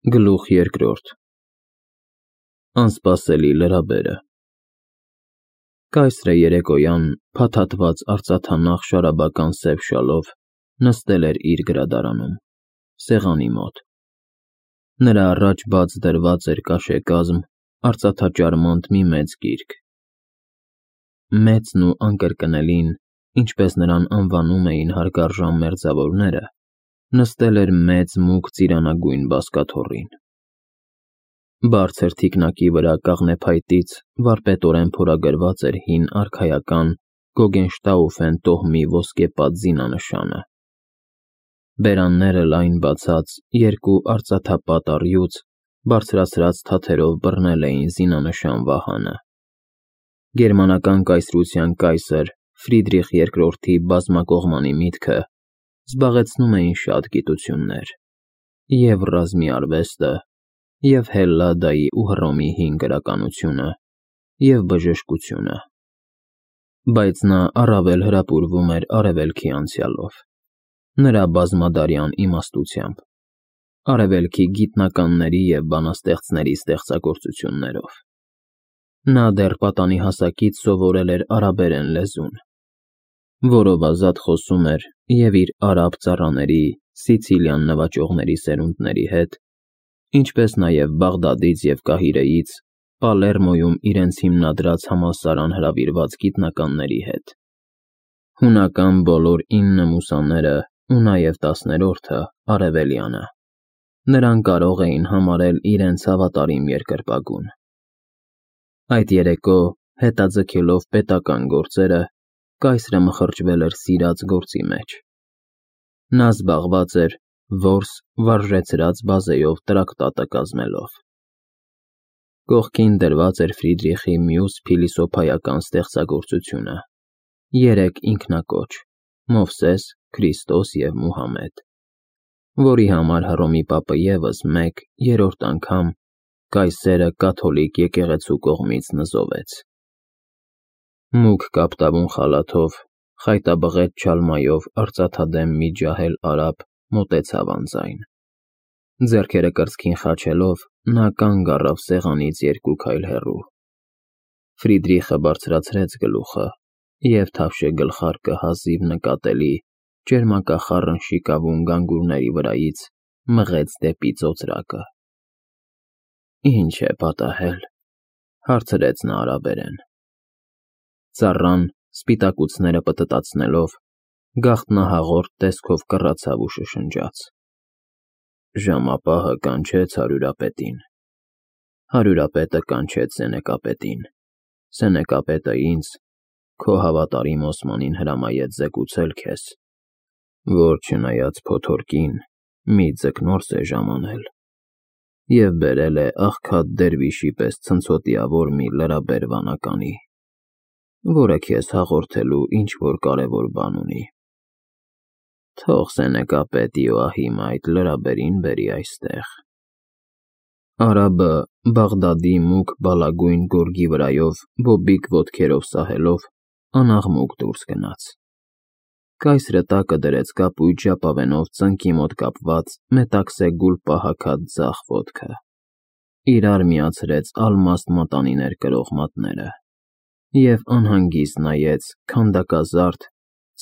Գլուխ երկրորդ Անսպասելի լրաբերը Կայսրը երեկոյան փաթաթված արծաթանախ շարաբական սև շալով նստել էր իր գրադարանում, սեղանի մոտ։ Նրա առաջ բաց դրված էր կաշեկազմ, արծաթաճարմանտ մի մեծ գիրք։ Մեծն ու անկրկնելին, ինչպես նրան անվանում էին հարգարժան մերձավորները, նստել էր մեծ մուգ ծիրանագույն բազկաթոռին։ Բարձր թիկնակի վրա կաղնեփայտից վարպետորեն փորագրված էր հին արքայական Գոգենշտաուֆեն տոհմի ոսկեպատ զինանշանը։ Բերանները լայն բացած երկու արծաթապատ առյուծ բարձրացրած թաթերով բռնել էին զինանշան վահանը։ Գերմանական կայսրության կայսր Ֆրիդրիխ II-ի բազմակողմանի միտքը զբաղեցնում էին շատ գիտություններ, և ռազմի արվեստը, և Հելլադայի ու Հռոմի հին գրականությունը, և բժշկությունը, բայց նա առավել հրապուրվում էր Արևելքի անցյալով, նրա բազմադարյան իմաստությամբ, Արևելքի գիտնականների և բանաստեղծների ստեղծագործություններով։ Նա դեռ պատանի հասակից սովորել էր արաբերեն լեզուն, որով ազատ խոսում էր և իր արաբ ծառաների, Սիցիլիան նվաճողների սերունդների հետ, ինչպես նաև Բաղդադից և Կահիրեից, Պալերմոյում իրենց հիմնադրած համալսարան հրավիրված գիտնականների հետ։ Հունական բոլոր 9 մուսաները ու նաև 10-րդը արևելյանը նրան կարող էին համարել իրենց հավատարիմ երկրպագուն։ Այդ երեկո, հետաձգելով պետական գործերը, կայսրը մխրճվել էր սիրած գործի մեջ։ Նա զբաղված էր որս վարժեցրած բազեով տրակտատը կազմելով։ Կողքին դրված էր Ֆրիդրիխի մյուս փիլիսոփայական ստեղծագործությունը՝ 3 ինքնակոչ՝ Մովսես, Քրիստոս և Մուհամեդ, որի համար Հռոմի պապը ևս մեկ, երրորդ անգամ կայսերը կաթոլիկ եկեղեցու կողմից նզովեց։ Մուգ կապտավուն խալաթով, խայտաբղետ չալմայով արծաթադեմ մի ջահել արաբ մոտեցավ անձայն։ Ձեռքերը կրծքին խաչելով, նա կանգ առավ սեղանից 2 քայլ հեռու։ Ֆրիդրիխը բարձրացրեց գլուխը և թավշե գլխարկը հազիվ նկատելի ճերմակախառն շիկավուն գանգուրների վրայից մղեց դեպի ծոծրակը։ Ի՞նչ է պատահել,֊ հարցրեց նա արաբերեն։ Ծառան, սպիտակուցները պտտացնելով, գաղտնահաղորդ տեսքով կռացավ ու շշնջաց. Ժամապահը կանչեց հարյուրապետին, հարյուրապետը կանչեց սենեկապետին, սենեկապետը ինձ, քո հավատարիմ Օսմանին հրամայեց զեկուցել քեզ, որ չնայած փոթորկին, մի ձկնորս է ժամանել և բերել է աղքատ դերվիշի պես ցնցոտիավոր մի լրաբեր վանականի, որը քեզ հաղորդելու ինչ-որ կարևոր բան ունի։ Թող սենեկապետ Իոահիմը այդ լրաբերին բերի այստեղ։ Արաբը Բաղդադի մուգ բալագույն գորգի վրայով բոբիկ ոտքերով սահելով անաղմուկ դուրս գնաց։ Կայսրը տակը դրեց կապույտ ժապավենով ծնկի մոտ կապված մետաքսե գուլպա հագած ձախ ոտքը, իրար միացրեց ալմաստ մատանիներ կրող մատները և անհանգիստ նայեց քանդակազարդ,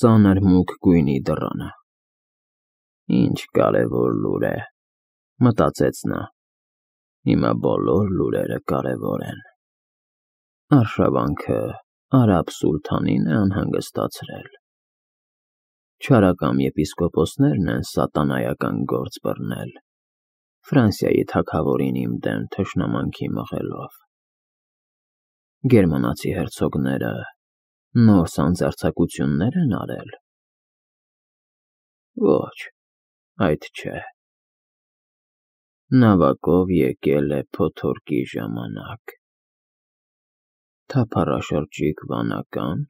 ծանր մուգ գույնի դռանը։ Ինչ կարևոր լուր է, մտածեց նա, հիմա բոլոր լուրերը կարևոր են։ Արշավանքը արաբ սուլթանին է անհանգստացրել։ Չարակամ եպիսկոպոսներն են սատանայական գործ բռնել, Ֆրանսիայի թագավորին իմ դեմ թշնամանքի մղելով։ Գերմանացի հերցոգները նոր սանձարձակություններ են արել։ Ոչ, այդ չէ։ Նավակով եկել է փոթորկի ժամանակ։ Թափառաշրջիկ վանական։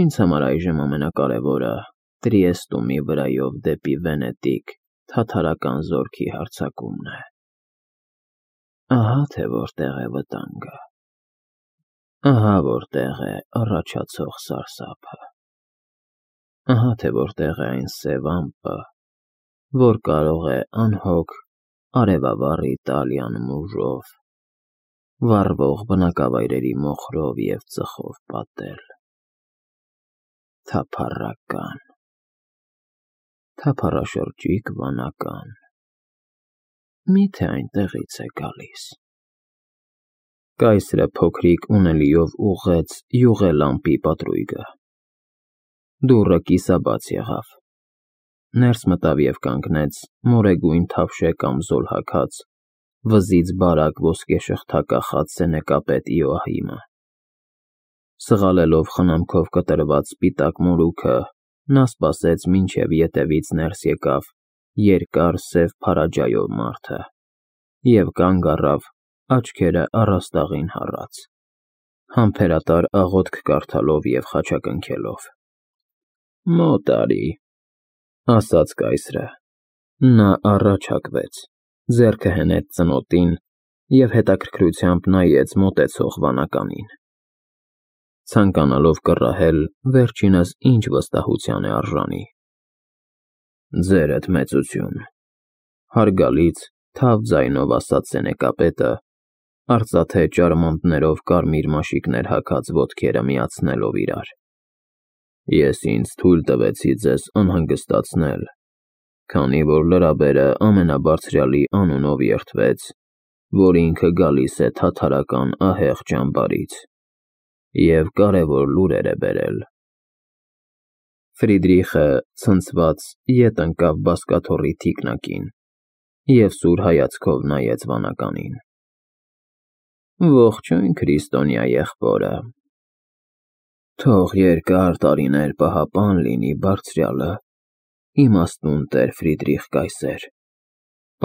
Ինձ համար այժմ ամենակարևորը Տրիեստումի վրայով դեպի Վենետիկ թաթարական զորքի հարձակումն է։ Ահա թե որտեղ է վտանգը։ Ահա որտեղ է առաջացող սարսափը։ Ահա թե որտեղ է այն սև ամպը, որ կարող է անհոգ արևավառ Իտալիան մուժով, վառվող բնակավայրերի մոխրով և ծխով պատել։ Թափառական, թափառաշրջիկ վանական, միթե այնտեղից է գալիս։ Կայսրը փոքրիկ ունելիով ուղղեց յուղելամպի պատրույգը։ Դուռը կիսաբաց եղավ։ Ներս մտավ և կանգնեց մորեգույն թավշե կամզոլ հագած, վզից բարակ ոսկեշղթա կախած սենեկապետ Իոահիմը։ Սղալելով խնամքով կտրված սպիտակ մորուքը, նա սպասեց, մինչև ետևից ներս եկավ երկար սև փարաջայով մարդը և կանգ առավ, աչքերը առաստաղին հառած, համբերատար աղոթք կարդալով և խաչակնքելով։ «Մոտ արի», ասաց կայսրը։ Նա առաջ հակվեց, ձեռքը հենեց ծնոտին և հետաքրքրությամբ նայեց մոտեցող վանականին, ցանկանալով կռահել վերջինս ինչ վստահության է արժանի։ «Ձերդ մեծություն», հարգալից, թավ ձայնով ասաց սենեկապետը, արծաթե ճարմանտներով կարմիր մաշիկներ հագած ոտքերը միացնելով իրար։ «Ես ինձ թույլ տվեցի ձեզ անհանգստացնել, քանի որ լրաբերը ամենաբարձրյալի անունով երդվեց, որ ինքը գալիս է թաթարական ահեղ ճամբարից և կարևոր լուրեր է բերել»։ Ֆրիդրիխը ցնցված ետ ընկավ բազկաթոռի թիկնակին և սուր հայացքով նայեց վանականին։ «Ողջույն, քրիստոնյա եղբորը, թող երկար տարիներ պահապան լինի բարձրյալը, իմաստուն տեր Ֆրիդրիխ կայսեր»,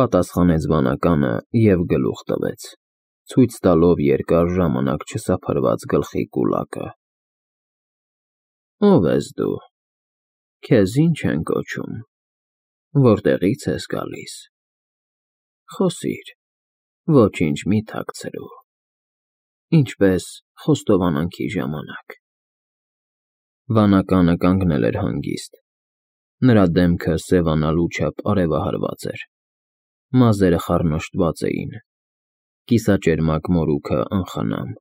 պատասխանեց վանականը և գլուխ տվեց, ցույց տալով երկար ժամանակ չսափրված գլխի կուլակը։ «Ո՞վ ես դու, քեզ ի՞նչ են կոչում, որտեղի՞ց ես գալիս։ Խոսիր, ոչինչ մի թաքցրու, ինչպես խոստովանանքի ժամանակ»։ Վանականը կանգնել էր հանգիստ, նրա դեմքը սևանալու չափ արևահարված էր, մազերը խառնոշտված էին, կիսաճերմակ մորուքը անխնամ։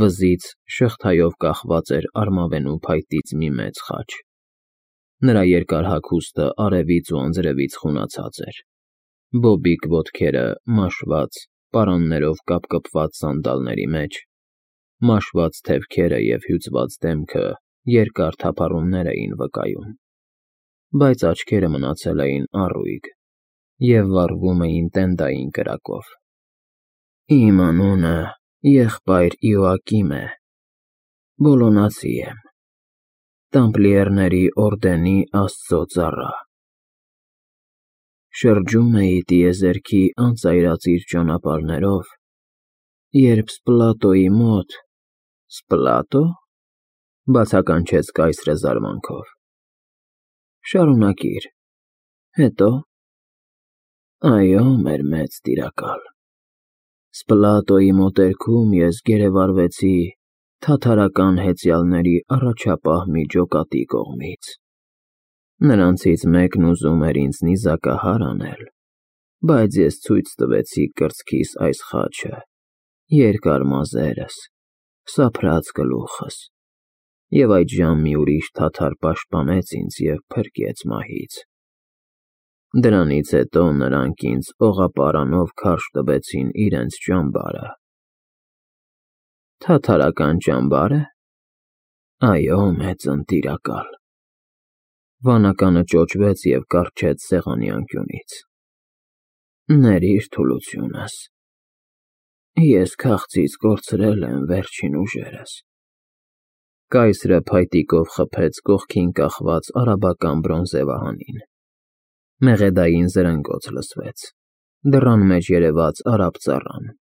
Վզից շղթայով կախված էր արմավենու փայտից մի մեծ խաչ։ Նրա երկար հագուստը արևից ու անձրևից խունացած էր, բոբիկ ոտքերը մաշված, պարաններով կապկպված սանդալների մեջ, մաշված թևքերը և հյուծված դեմքը երկար թափառումներ էին վկայում, բայց աչքերը մնացել էին առույգ և վառվում էին տենդային կրակով։ «Իմ անունը եղբայր Իոակիմ է, Բոլոնացի եմ, Տամպլիերների օրդենի Աստծո ծառա։ Շրջում էի տիեզերքի անծայրածիր ճանապարհներով, երբ Սպլատոյի մոտ…» «Սպլատո՞», բացականչեց կայսրը զարմանքով։ «Շարունակիր, հետո՞»։ «Այո, մեր մեծ տիրակալ, Սպլատոյի մոտերքում ես գերեվարվեցի թաթարական հեծյալների առաջապահ մի ջոկատի կողմից։ Նրանցից մեկն ուզում էր ինձ նիզակահար անել, բայց ես ցույց տվեցի կրծքիս այս խաչը, երկար մազերս, սափրած գլուխս, և այդժամ մի ուրիշ թաթար պաշտպանեց ինձ և փրկեց մահից։ Դրանից հետո նրանք ինձ օղապարանով քարշ տվեցին իրենց ճամբարը»։ «Թաթարական ճամբա՞րը»։ «Այո, մեծն տիրակալ»։ Վանականը ճոճվեց և կառչեց սեղանի անկյունից։ «Ներիր թուլությունս, ես քաղցից կորցրել եմ վերջին ուժերս»։ Կայսրը փայտիկով խփեց կողքին կախված արաբական բրոնզե վահանին։ Մեղեդային զրնգոց լսվեց, դռան մեջ երևաց արաբ ծառան։